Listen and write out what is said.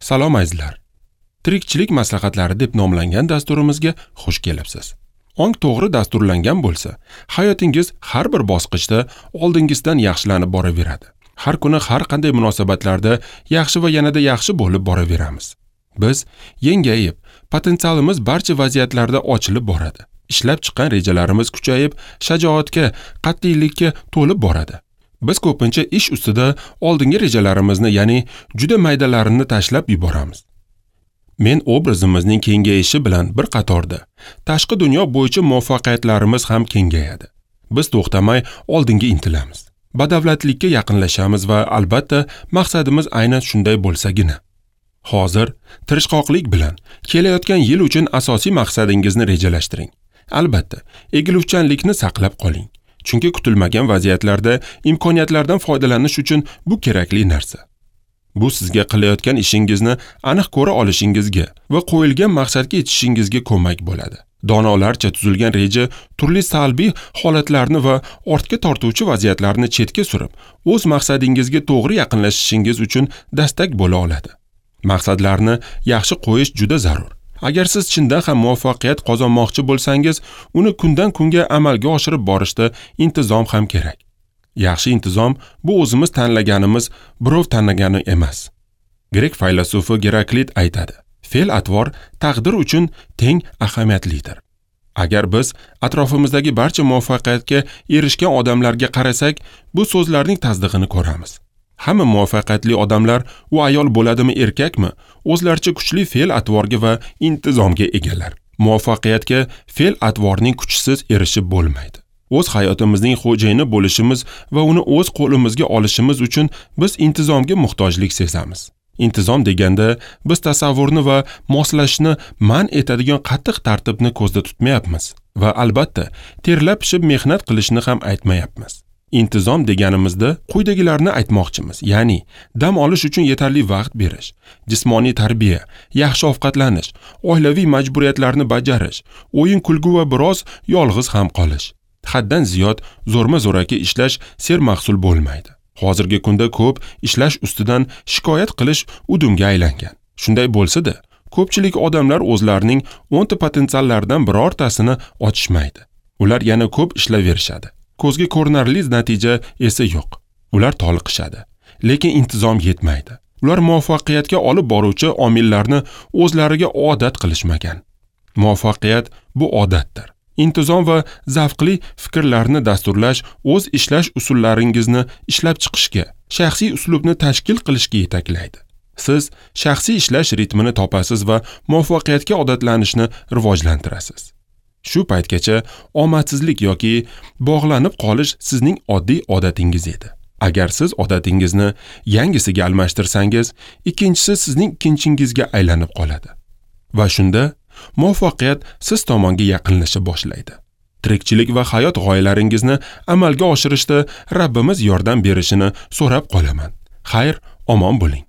Salom azizlar. Tirikchilik maslahatlari deb nomlangan dasturimizga xush kelibsiz. Ong to'g'ri dasturlangan bo'lsa, hayotingiz har bir bosqichda oldingizdan yaxshilanib boraveradi. Har kuni har qanday munosabatlarda yaxshi va yanada yaxshi bo'lib boraveramiz. Biz yengayib, potensialimiz barcha vaziyatlarda ochilib boradi. Ishlab chiqqan rejalarimiz kuchayib, shajoatga, qat'iylikka to'lib boradi. Biz ko'pincha ish ustida oldingi rejalarimizni, ya'ni juda maydalarini tashlab yuboramiz. Men obrazimizning kengayishi bilan bir qatorda tashqi dunyo bo'yicha muvaffaqiyatlarimiz ham kengayadi. Biz to'xtamay oldinga intilamiz. Badavlatlikka yaqinlashamiz va albatta maqsadimiz aynan shunday bo'lsagina. Hozir tirishqoqlik bilan kelayotgan yil uchun asosiy maqsadingizni rejalashtiring. Albatta, egiluvchanlikni saqlab qoling. Chunki kutilmagan vaziyatlarda imkoniyatlardan foydalanish uchun bu kerakli narsa. Bu sizga qilayotgan ishingizni aniq ko'ra olishingizga va qo'yilgan maqsadga yetishingizga ko'mak bo'ladi. Donolarcha tuzilgan reja turli salbiy holatlarni va ortga tortuvchi vaziyatlarni chetga surib, o'z maqsadingizga to'g'ri yaqinlashishingiz uchun dastak bo'la oladi. Maqsadlarni yaxshi qo'yish juda zarur. Agar siz chindan ham muvaffaqiyat qozonmoqchi bo'lsangiz, uni kundan kunga amalga oshirib borishda intizom ham kerak. Yaxshi intizom bu o'zimiz tanlaganimiz, birov tanlagani emas. Grek faylasufi Geraklit aytadi: fe'l-atvor taqdir uchun teng ahamiyatlidir. Agar biz atrofimizdagi barcha muvaffaqiyatga erishgan odamlarga qarasak, bu so'zlarning tasdig'ini ko'ramiz. Hamma muvaffaqiyatli odamlar, u ayol bo'ladimi, erkakmi, o'zlaricha kuchli fe'l-atvorga va intizomga egalar. Muvaffaqiyatga fe'l-atvorning kuchisiz erishib bo'lmaydi. O'z hayotimizning xo'jayini bo'lishimiz va uni o'z qo'limizga olishimiz uchun biz intizomga muhtojlik sezamiz. Intizom deganda biz tasavvurni va moslashni man etadigan qattiq tartibni ko'zda tutmayapmiz va albatta terlab pishib mehnat qilishni ham aytmayapmiz. Intizom deganimizda quyidagilarni aytmoqchimiz, ya'ni dam olish uchun yetarli vaqt berish, jismoniy tarbiya, yaxshi ovqatlanish, oilaviy majburiyatlarni bajarish, o'yin kulgu va biroz yolg'iz ham qolish. Haddan ziyod zo'rma-zo'raki ishlash sermahsul bo'lmaydi. Hozirgi kunda ko'p ishlash ustidan shikoyat qilish udumga aylangan. Shunday bo'lsa-da, ko'pchilik odamlar o'zlarining 10 ta potensiallaridan birortasini ochishmaydi. Ular yana ko'p ishlayverishadi. Ko'zga ko'rinarli natija esa yo'q. Ular toliqishadi, lekin intizom yetmaydi. Ular muvaffaqiyatga olib boruvchi omillarni o'zlariga odat qilishmagan. Muvaffaqiyat bu odatdir. Intizom va zavqli fikrlarni dasturlash o'z ishlash usullaringizni ishlab chiqishga, shaxsiy uslubni tashkil qilishga yetaklaydi. Siz shaxsiy ishlash ritmini topasiz va muvaffaqiyatga odatlanishni rivojlantirasiz. Shu paytgacha omadsizlik yoki bog'lanib qolish sizning oddiy odatingiz edi. Agar siz odatingizni yangisiga almashtirsangiz, ikkinchisi sizning ikkinchingizga aylanib qoladi. Va shunda muvaffaqiyat siz tomonga yaqinlasha boshlaydi. Tirikchilik va hayot g'oyalaringizni amalga oshirishda Rabbimiz yordam berishini so'rab qolaman. Xayr, omon bo'ling.